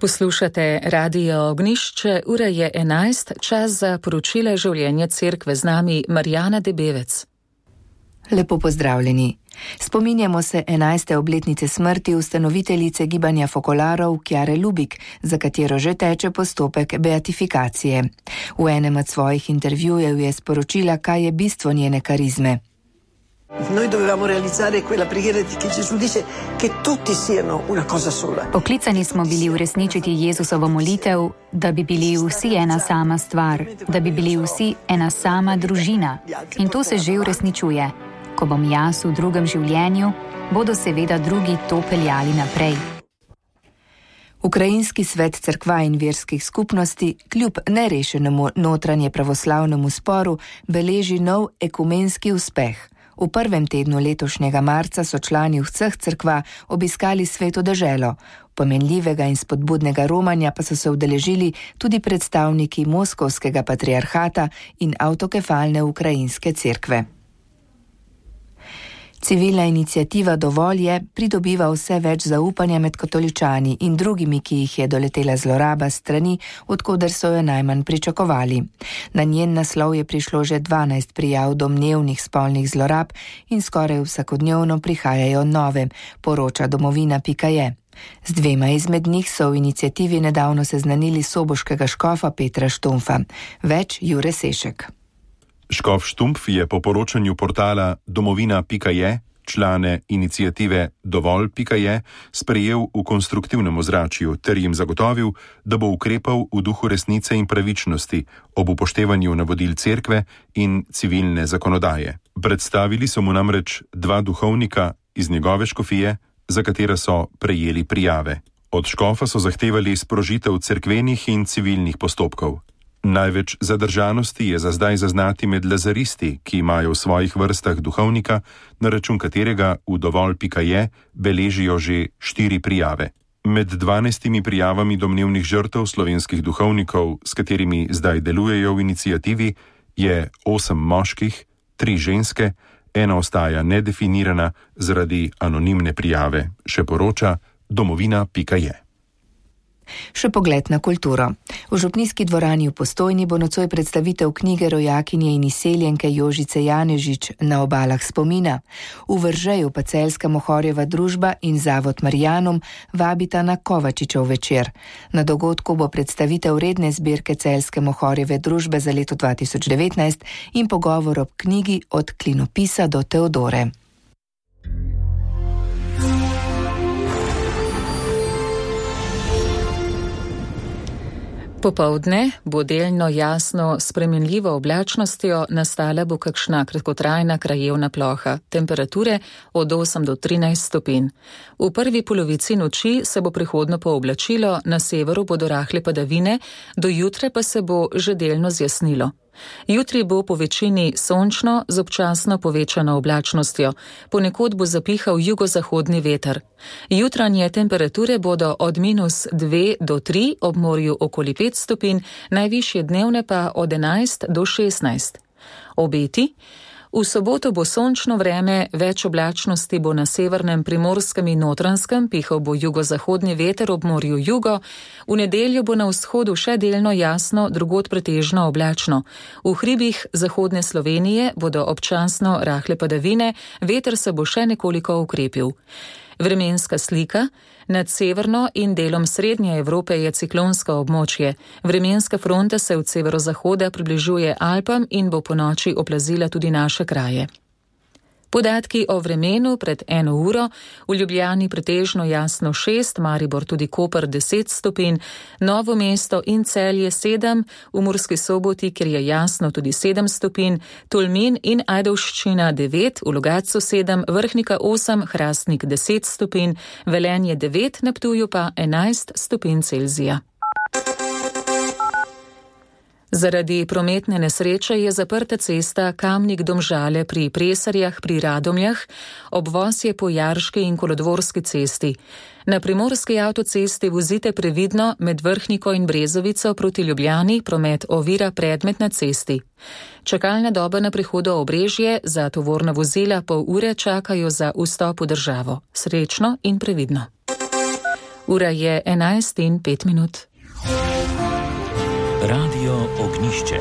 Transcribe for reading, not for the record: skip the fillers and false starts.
Poslušate Radio Ognišče, ura je 11, čas za poročile življenja cerkve, z nami Marjana Debevec. Lepo pozdravljeni. Spominjamo se 11. obletnice smrti ustanoviteljice gibanja Fokolarov Kjare Lubik, za katero že teče postopek beatifikacije. V enem od svojih intervjujev je sporočila, kaj je bistvo njene karizme. Noi dovevamo realizzare quella preghiera che Gesù dice che tutti siano una cosa sola. Poklicani smo bili uresničiti Jezusovo molitev, da bi bili vsi ena sama stvar, da bi bili vsi ena sama družina. In to se že uresničuje. Ko bom jaz v drugem življenju, bodo seveda drugi to peljali naprej. Ukrajinski svet cerkva in verskih skupnosti kljub nerešenemu notranje pravoslavnemu sporu beleži nov ekumenski uspeh. V prvem tednu letošnjega marca so člani vseh cerkva obiskali Sveto deželo. Pomenljivega in spodbudnega romanja pa so se udeležili tudi predstavniki Moskovskega patriarhata in avtokefalne ukrajinske cerkve. Civilna iniciativa Dovolj je pridobiva vse več zaupanja med katoličani in drugimi, ki jih je doletela zloraba strani, odkoder so jo najmanj pričakovali. Na njen naslov je prišlo že 12 prijav domnevnih spolnih zlorab in skoraj vsakodnevno prihajajo nove, poroča domovina.je. Z dvema izmed njih so v iniciativi nedavno seznanili soboškega škofa Petra Štumpfa. Več Jure Sešek. Škof Štumpf je po poročanju portala domovina.je člane iniciative Dovolj.je sprejel v konstruktivnem ozračju ter jim zagotovil, da bo ukrepal v duhu resnice in pravičnosti ob upoštevanju navodil cerkve in civilne zakonodaje. Predstavili so mu namreč 2 duhovnika iz njegove škofije, za katera so prejeli prijave. Od škofa so zahtevali sprožitev cerkvenih in civilnih postopkov. Največ zadržanosti je za zdaj zaznati med lazaristi, ki imajo v svojih vrstah duhovnika, na račun katerega v Dovolj.je beležijo že 4 prijave. Med 12 prijavami domnevnih žrtev slovenskih duhovnikov, s katerimi zdaj delujejo v iniciativi, je 8 moških, 3 ženske, 1 ostaja nedefinirana zaradi anonimne prijave, še poroča domovina.je. Še pogled na kulturo. V župnijski dvorani v Postojni bo nocoj predstavitev knjige rojakinje in izseljenke Jožice Janežič Na obalah spomina. V Vržeju pa Celjska Mohorjeva družba in Zavod Marjanum vabita na Kovačičev večer. Na dogodku bo predstavitev redne zbirke Celjske Mohorjeve družbe za leto 2019 in pogovor ob knjigi Od klinopisa do Teodore. Popoldne bo delno jasno spremenljivo oblačnostjo, nastala bo kakšna kratkotrajna krajevna ploha, temperature od 8 do 13 stopinj. V prvi polovici noči se bo prehodno pooblačilo, na severu bodo rahle padavine, do jutra pa se bo že delno zjasnilo. Jutri bo po večini sončno z občasno povečano oblačnostjo, ponekod bo zapihal jugozahodni veter. Jutranje temperature bodo od -2 do 3, ob morju okoli 5 stopinj, najvišje dnevne pa od 11 do 16. Obeti. V soboto bo sončno vreme, več oblačnosti bo na severnem Primorskem in Notranjskem, pihal bo jugozahodni veter ob morju jugo, v nedeljo bo na vzhodu še delno jasno, drugod pretežno oblačno. V hribih zahodne Slovenije bodo občasno rahle padavine, veter se bo še nekoliko ukrepil. Vremenska slika. Nad severno in delom srednje Evrope je ciklonsko območje. Vremenska fronta se od severozahoda približuje Alpam in bo ponoči oplazila tudi naše kraje. Podatki o vremenu pred 1 uro, v Ljubljani pretežno jasno 6, Maribor tudi Koper 10 stopinj, Novo mesto in Celje 7, v Murski Soboti, kjer je jasno tudi 7 stopinj, Tolmin in Ajdovščina 9, v Logatcu 7, Vrhnika 8, Hrastnik 10 stopinj, Velenje 9, na Ptuju pa 11 stopinj Celzija. Zaradi prometne nesreče je zaprta cesta Kamnik-Domžale pri Presarjah pri Radomljah, obvoz je po Jarški in Kolodvorski cesti. Na primorski avtocesti vozite previdno, med Vrhniko in Brezovico proti Ljubljani promet ovira predmet na cesti. Čakalna doba na prihodu Obrežje, za tovorna vozila pol ure čakajo za vstop v državo. Srečno in previdno. Ura je 11:05. Radio Ognišče.